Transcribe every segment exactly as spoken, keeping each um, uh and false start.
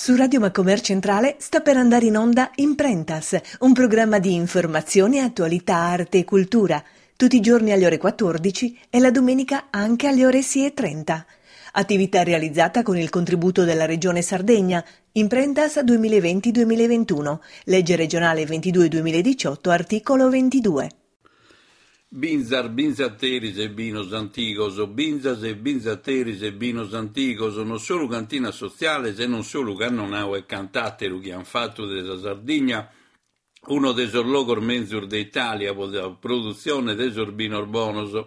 Su Radio Macomer Centrale sta per andare in onda Imprentas, un programma di informazione, attualità, arte e cultura, tutti i giorni alle ore quattordici e la domenica anche alle ore sei e trenta. Attività realizzata con il contributo della Regione Sardegna, Imprentas duemilaventi duemilaventuno, legge regionale ventidue duemiladiciotto, articolo ventidue. Binzas, binzateris e binos antigos, binzas e binzateris e binos antigos, non solu cantinas sotziales e non solu cannonau e cant'àteru chi ant fatu de sa Sardigna unu de sos logos menzus de Itàlia pro sa produtzione de sos binos bonos.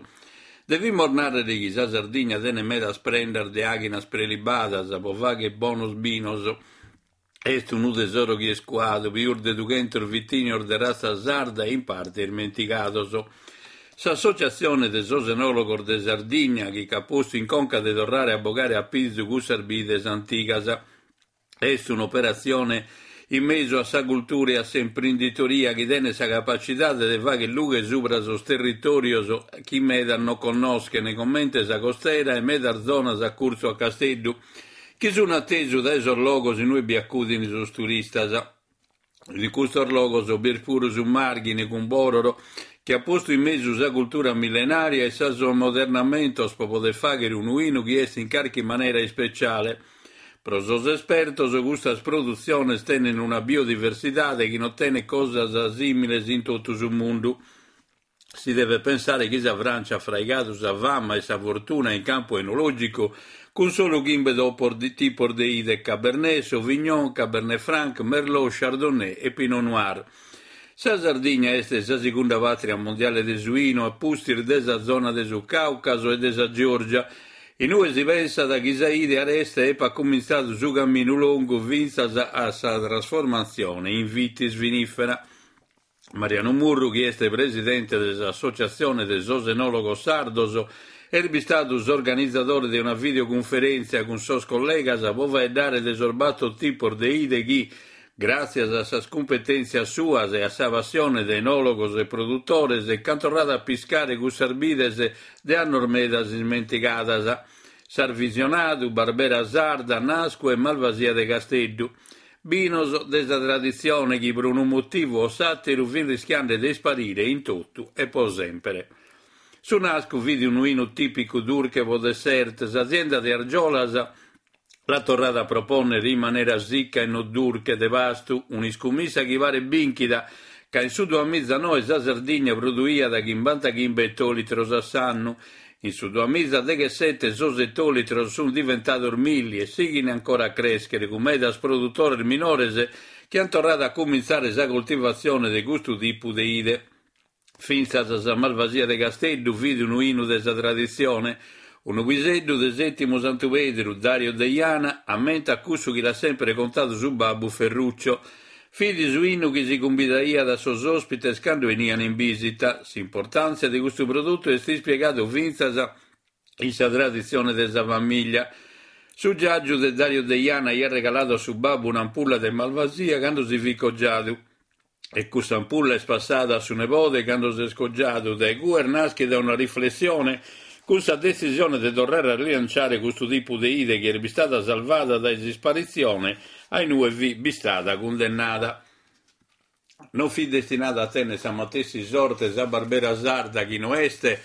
Devimus nàrrere chi sa Sardigna tenet medas prendas de àghinas prelibadas pro fàghere bonos binos. Est unu tesoro chi est cuadu, pius de dughentos vitìnios de ratza sarda e in parte ismentigados. S'Associatzione de sos Enòlogos de Sardigna, chi ch'at postu in conca de torrare a bogare a pizu cussas bides antigas. Est un'operatzione in mesu a sa cultura e a s'imprenditoria chi tenet sa capacidade de fàghere lughe subra sos territòrios chi medas non connoschent, comente sa costera e medas zonas a curtzu a Casteddu, chi sunt a tesu dae sos logos in ue bi acudint sos turistas. In custos logos bi est puru su Màrghine cun Bòroro, chi at postu in mesu sa cultura millenaria e sos ammodernamentos pro poder fàghere unu 'inu chi est in carchi manera ispeciale. Pro sos espertos custas produtziones tenent una biodiversidade chi non tenet cosas sìmiles in totu su mundu. Si devet pensare chi sa Francia at fraigadu sa fama e sa fortuna in campu enològicu cun solu chimbe tipos de 'ide: Cabernet, Sauvignon, Cabernet Franc, Merlot, Chardonnay e Pinot Noir. Sa Sardigna est sa segunda pàtria mondiale de su 'inu, a pustis de sa zona de su Càucaso e de sa Georgia, in ue si pensat chi sa 'ide areste epat cumintzadu su caminu longu fintzas a sa trasformatzione in vitis vinifera. Mariano Murru, chi est presidente de s'Associatzione de sos Enòlogos Sardos, est bistadu s'organizadore de una videocunferèntzia cun sos collegas pro faeddare de sos bator tipos de 'ide chi, gràtzias a sas cumpetèntzias suas e a sa passione de enòlogos e produtores, ch'ant torradu a piscare cussas bides de annos medas ismentigadas. S'Arvisionadu, Barbera Sarda, Nascu e Malvasia de Casteddu. Binos de sa traditzione chi pro unu motivu o s'àteru fin rischiende de isparire in totu e pro sempre. Su Nascu fit unu 'inu tìpicu durche pro dessert. S'azienda de Argiolas l'at torrada a propònnere in manera sicca e non durche de pastu, un'iscumissa chi paret bìnchida, ca in su duamizanoe sa Sardigna produiat chimbantachimbe etolitros a s'annu. In su duamizadechesete sos etolitros sunt diventados milli e sighint ancora a crèschere, cun medas produtores minores chi ant torradu a cumintzare sa coltivatzione de custu tipu de 'ide. Fintzas sa Malvasia de Casteddu fit unu 'inu de sa traditzione. Unu piseddu de Sètimu Santu Pedru, Dario Deiana, ammentat cussu chi l'at sempre contadu su babbu Ferruccio. Fit su 'inu chi si cumbidaiat a sos òspites cando 'enian in bìsita. S'importàntzia de custu produtu est ispiegadu fintzas in sa traditzione de sa famìllia. Su giàgiu de Dario Deiana aiat regaladu a su babbu un'ampulla de Malvasia cando si fit cogiadu. E cussa ampulla est passada a su nebode cando s'est cogiadu. Dae cue est nàschida una riflessione cun sa detzisione de torrare a rilanciare custu tipu de 'ide chi est bistada salvada dae s'isparitzione a in ue fit bistada cundennada. Non fit destinada a tènnere sa matessi sorte sa Barbera Sarda, chi no est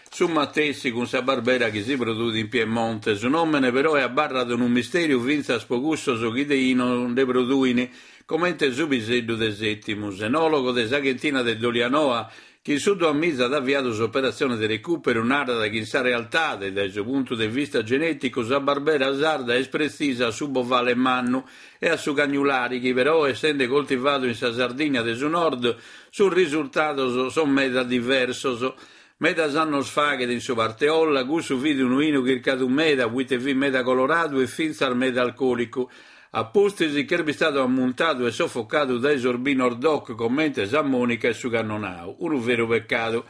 su matessi cun sa Barbera chi si produit in Piemonte. Su nòmene però est abarradu unu mistèriu fintzas pro cussos chi de 'inu nde produin, comente su piseddu de Sètimu, s'enòlogo de sa chentina de Dolianoa, chi in su duamiza at aviadu s'operatzione de recùperu, narat chi in sa realtade, dae su puntu de vista genèticu, sa Barbera Sarda est pretzisa a su Bovale Mannu e a su Cagnulari, chi però, essende coltivadu in sa Sardigna de su Nord, sos risultados son meda diversos. Medas annos faghet in su Parteolla, cussu fit unu 'inu chircadu meda, poite fit meda coloradu e fintzas meda alcòlicu. A pustis ch'est bistadu ammuntadu e sofocadu dae sos binos DOC comente sa Monica e su Cannonau. Unu veru pecadu.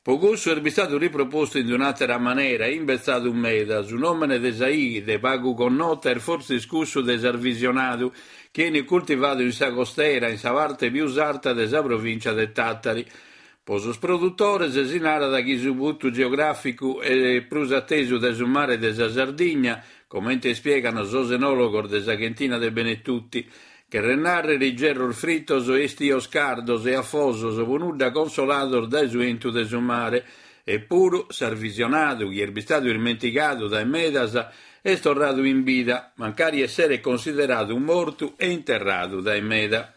Pro cussu est bistadu ripropostu in un'àtera manera, imbetzadu meda. Su nòmene de sa 'ide pagu connota est fortzis cussu de s'Arvisionadu, chi 'enit cultivadu in sa costera, in sa parte pius arta de sa provìncia de Tàtari. Pro sos produtores si narat chi su puntu geogràficu est prus atesu dae su mare de sa Sardigna, Comente ispiegano sos enòlogos de sa Cantina de Benetutti, cheret nàrrere igerros fritos e istios cardos e afosos pro nudda consolados dae su 'entu de su mare. Eppuru s'arvisionadu, chi est bistadu ismentigadu dae medas, est torradu in bida, mancari esseret consideradu mortu e interradu dae meda.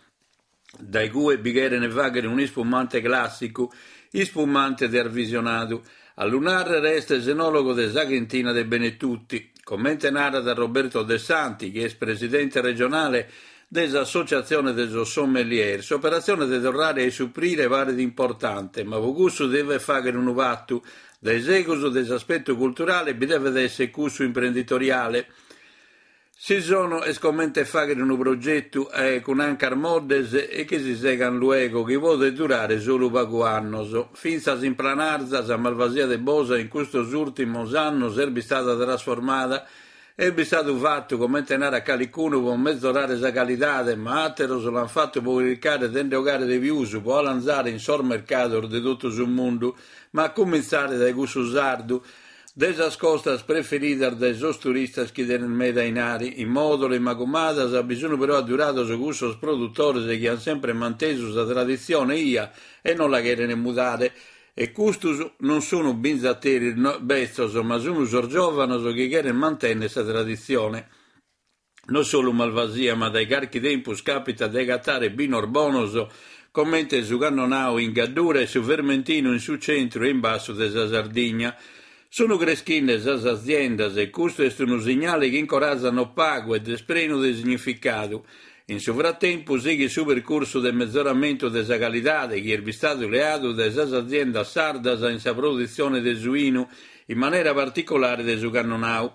Dae cue bi cheren fàghere un'ispumante clàssicu, ispumante de arvisionadu. A lu nàrrere est s'enòlogo de sa Cantina de Benetutti. Comente narat Roberto De Santi, chi est presidente regionale de s'Associazione de sos Sommelier, s'operazione de torrare a issuprire paret importante, ma pro cussu devet fàghere unu patu. Dae segus de s'aspetto culturale bi devet essere cussu imprenditoriale. Si nono est comente fàghere unu progetu eh, cun ancas moddes e chi si segan luego, chi podet durare solu pagu annos. Fintzas in Planarza sa Malvasia de Bosa in custos ùrtimos annos est bistada trasformada. Est bistadu fatu, comente narat calicunu, pro mezorare sa calidade, ma àteros l'an fatu pro chircare de nde 'ogare de pius, pro 'alanzare in sos mercados de totu su mundu, ma a comintzare dae cussu sardu, de sas costas preferidas dae sos turistas chi tenen meda 'inari. In Mòdolo e Magumadas bi sun però addurados cussos produttores chi an sempre mantesu sa traditzione 'ia e non la cheren mudare. E custos non sun binzateris betzos, ma sun sos giòvanos chi cheren mantènnere sa traditzione. Non solu Malvasia, ma dae carchi tempus capita de agatare binos bonos comente su Cannonau in Gaddura e su Vermentinu in su centru e in bassu de sa Sardigna. Sunu creschinde sas aziendas e custu est unu signale chi incorazat no pagu ed est prenu de significadu. In su fratempus sighit su percursu de mezoramentu de sa calidade chi est bistadu leadu dae sas aziendas sardas in sa produtzione de su 'inu, in manera particolare de su Cannonau.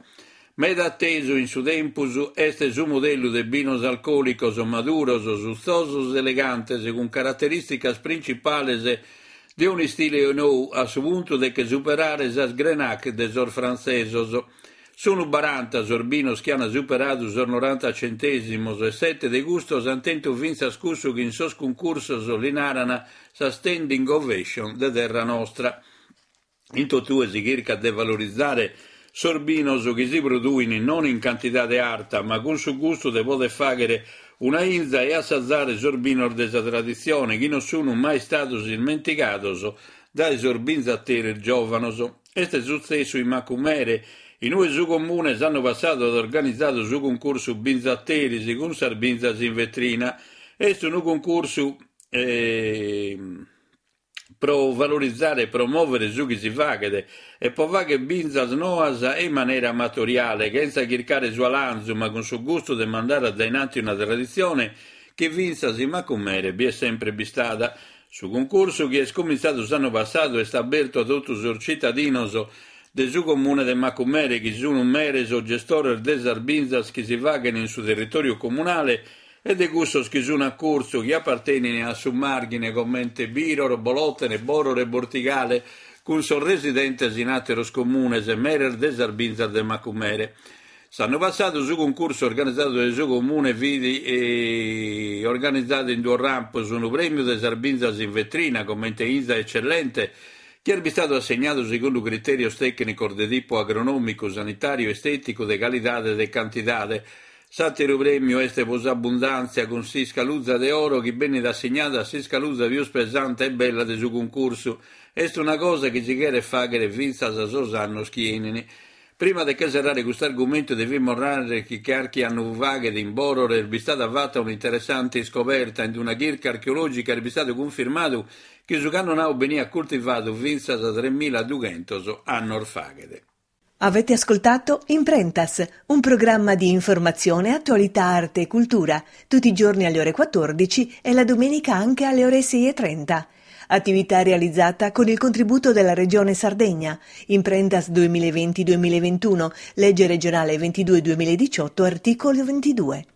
Meda atesu in su tempus est su modellu de binos alcòlicos maduros, sutzosos e elegantes, cun caraterìsticas principales de un'istile nou a su puntu de che superare sas Grenache de sos frantzesos. Sunu baranta sos binos chi an superadu sos noranta centèsimos e sete de custos an tentu fintzas cussu chi in sos cuncursos li naran sa standing ovation de terra nostra. In totue si chircat de valorizare sos binos chi si produin non in cantidade arta, ma cun su gustu de poder fàghere una 'inza e assazare sos binos de sa traditzione chi non sunu mai istados ismentigados dae sos binzateris giòvanos. Est sutzessu in Macumere, in ue su comune s'annu passadu at organizadu su cuncursu Binzateris cun sas binzas in vetrina. Est unu cuncursu eh, pro valorizare e promòvere su chi si faghet e pro fàghere binzas noas e in manera amatoriale, chentza chircare su 'alanzu, ma cun su gustu de mandare a dainanti una traditzione chi fintzas in Macumere bi est sempre bistada. Su cuncursu, chi est comintzadu s'annu passadu, est abertu a totu sos citadinos de su comune de Macumere, chi sunu meres o gestores de sas binzas chi si faghen in su territòriu comunale e de cussos chi sun a curtzu, chi apartenen a su Màrghine comente Bìroro, Bolòtene, Bòrore e Bortigale, cun sos residentes in àteros comunes, meres de sas binzas de Macumere. S'annu passadu su cuncursu organizadu dae su comune fit eh, organizadu in duos rampos, unu prèmiu de sas binzas in vetrina comente 'inza eccellente, chi est bistadu assegnadu segundu critèrios tècnicos de tipu agronòmicu, sanitàriu, estèticu, de calidade e de cantidade. S'àteru prèmiu est pro s'abbundàntzia cun s'iscaluza de oro chi benit assignada a s'iscaluza pius pesante e bella de su cuncursu. Est una cosa chi si cheret fàghere fintzas a sos annos chi 'enin. Prima de che serrare custu argumentu devimus nàrrere chi carchi annu faghet in Bòrore est bistada fata un'interessante iscoberta. In una chirca archeològica est bistadu cunfirmadu chi su Cannonau beniat coltivadu fintzas a tremiladughentos annos faghet. Avete ascoltato Imprentas, un programma di informazione, attualità, arte e cultura, tutti i giorni alle ore quattordici e la domenica anche alle ore sei e trenta. Attività realizzata con il contributo della Regione Sardegna. Imprentas duemilaventi duemilaventuno, legge regionale ventidue duemiladiciotto, articolo ventidue.